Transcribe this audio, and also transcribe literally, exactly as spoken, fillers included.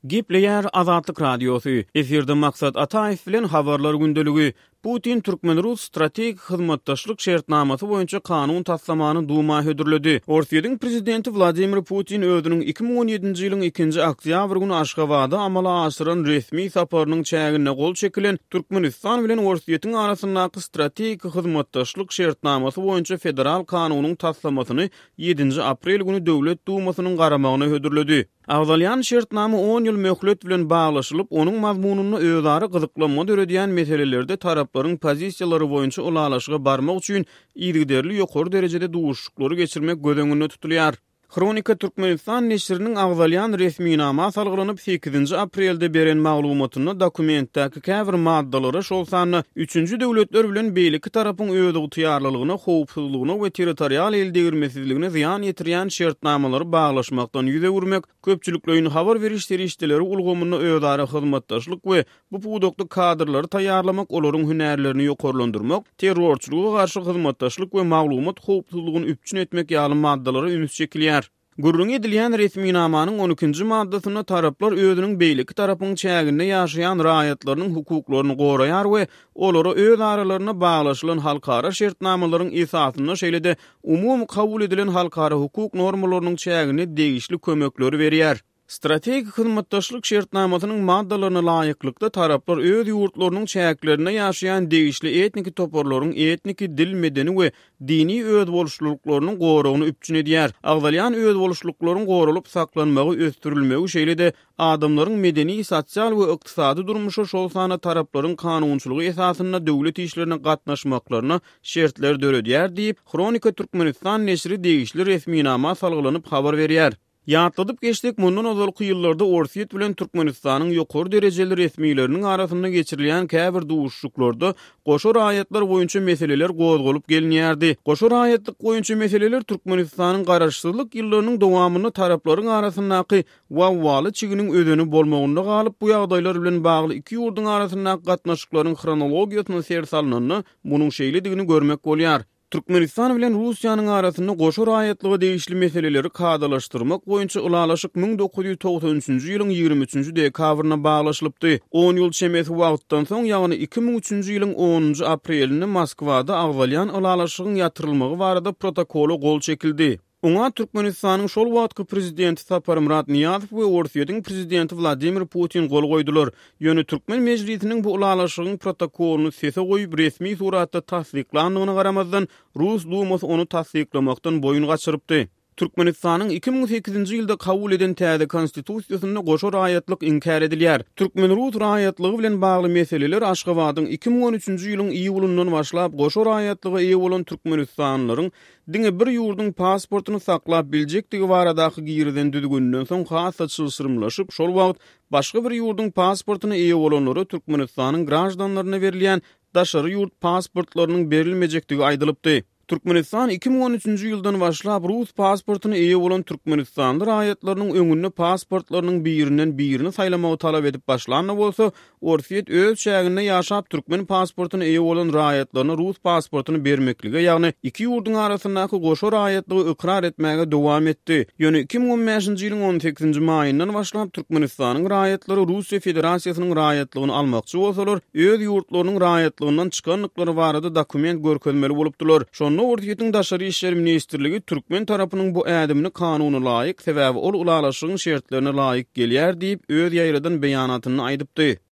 Gepleýär Azatlyk Radiosy. Efirde Maksat Ataýew bilen Habarlar gündeligi. Putin türkmen-rus strategik hyzmatdaşlyk şertnamasy boýunça kanun taslamany Duma hödürledi. Orsýetiň prezidenti Wladimir Putin özüniň iki müň on ýedinji ýylyň ikinji oktýabr güni Aşgabada amala aşyran resmi saparynyň çäginde gol çekilen Türkmenistan bilen Orsýetiň arasyndaky strategik hyzmatdaşlyk şertnamasy boýunça federal kanunyň taslamasyny ýedinji aprel güni Döwlet Dumasynyň garamagyna hödürledi. Agzalýan şertnama on ýyl möhlet bilen baglaşylyp, onuň mazmunynda özara gyzyklanma döredýän meselelerde taraplaryň pozisiýalary boýunça ylalaşyga barmak üçin yzygiderli ýokary derejede duşuşyklary geçirmek göz öňünde tutulýar. Hronika Türkmenistan neşiriniň agzalýan resminama salgylanyp sekizinji aprelde beren maglumatynda dokumentdäki käbir maddalara, şol sanda üçünji döwletler bilen beýleki tarapyň özygtyýarlylygyna, howpsuzlygyna we territorial eldegirmesizligine zyýan ýetirýän şertnamalary baglaşmakdan ýüz öwürmek, köpçülikleýin habar beriş serişdeleri ulgamynda özara hyzmatdaşlyk we bu pudakda kadrlary taýýarlamak, olaryň hünärlerini ýokarlandyrmak, terrorçylyga garşy hyzmatdaşlyk we maglumat howpsuzlygyny üpjün etmek ýaly maddalara üns çekilýär. Gürrüňi edilýän resminamanyň on ikinji maddasynda taraplar özüniň beýleki tarapyň çäginde ýaşaýan raýatlarynyň hukuklaryny goraýar we olara öz aralarynda baglaşylan halkara şertnamalaryň esasynda şeýle-de umumy kabul edilen halkara hukuk normalarynyň çäginde degişli kömekleri berýär. Strategik hyzmatdaşlyk şertnamasynyň maddalaryna laýyklykda taraplar öz ýurtlarynyň çäklerinde ýaşaýan degişli etniki toparlaryň etniki, dil, medeni we dini özboluşlyklarynyň goragyny üpjün edýär. Agzalýan özboluşlyklaryň goralyp saklanmagy, ösdürilmegi, şeýle-de adamlaryň medeni, sosial we ykdysady durmuşa, şol sanda taraplaryň kanunçylygy esasynda döwlet işlerine gatnaşmaklaryna şertler döredýär diýip, Hronika Türkmenistan neşiri degişli resminama salgylanyp habar berýär. Ýatladyp geçsek, mundan ozalky ýyllarda Orsýet bilen Türkmenistanyň ýokary derejeli resmileriniň arasynda geçirilýän käbir duşuşyklarda goşa raýatlar boýunça meseleler gozgalyp gelinýärdi. Goşa raýatlyk boýunça meseleler Türkmenistanyň garaşsyzlyk ýyllarynyň dowamynda taraplaryň arasyndaky wawwaly çiginiň özeni bolmagynda galyp, bu ýagdaýlar bilen bagly iki ýurduň arasyndaky gatnaşyklaryň hronologiýasyna ser salnanda munuň şeýledigini görmek bolýar. Türkmenistan bilen Russiýanyň arasynda goşa raýatlyga degişli meseleleri kadalaşdyrmak boýunça ylalaşyk müň dokuz ýüz togsan üçünji ýylyň ýigrimi üçünji dekabrynda baglaşylypdy. On ýyl çemesi wagtdan soň, ýagny iki müň üçünji ýylyň onunjy aprelinde Moskwada agzalýan ylalaşygyň ýatyrylmagy barada protokola gol çekildi. Oňa Türkmenistanyň şol wagtky prezidenti Saparmyrat Nyýazow we Orsýetiň prezidenti Wladimir Putin gol goýdular. Ýöne Türkmen mejlisiniň bu ylalaşygyň protokolyny sese goýup resmi suratda tassyklandygyna garamazdan, Rus Dumasy ony tassyklamakdan boýun gaçyrypdy. Türkmenistanyň iki müň sekizinji ýylda kabul eden täze konstitusiýasynda goşa raýatlyk inkär edilýär. Türkmen-rus raýatlygy bilen bagly meseleler Aşgabadyň iki müň on üçünji ýylyň iýulyndan başlap goşa raýatlyga eýe bolan türkmenistanlylaryň diňe bir ýurduň pasportyny saklap biljekdigi baradaky girizen düzgüninden soň has-da çylşyrymlaşyp, şol wagt başga bir ýurduň pasportyna eýe bolanlara Türkmenistanyň graždanlaryna berilýän daşary ýurt pasportlarynyň berilmejekdigi aýdylypdy. Türkmenistan iki müň on üçünji ýyldan başlap rus pasportyna eýe bolan türkmenistanly raýatlarynyň öňünde pasportlarynyň birinden birini saýlamagy talap edip başlanda bolsa, Orsýet öz çäginde ýaşap türkmen pasportyna eýe bolan raýatlaryna rus pasportyny bermeklige, ýagny iki ýurduň arasyndaky goşa raýatlygy ykrar etmäge dowam etdi. Ýöne iki müň on bäşinji ýylyň on sekizinji maýyndan başlap Türkmenistanyň raýatlary Russiýa Federasiýasynyň raýatlygyny almakçy bolsalar, öz ýurtlarynyň raýatlygyndan çykandyklary barada dokument görkezmeli bolupdylar. Şonda Orsýetiň Daşary işler ministrligi türkmen tarapynyň bu ädimini kanuna laýyk, sebäbi ol ylalaşygyň şertlerine laýyk gelýär diýip, öz ýaýradan beýanatynda aýdypdy.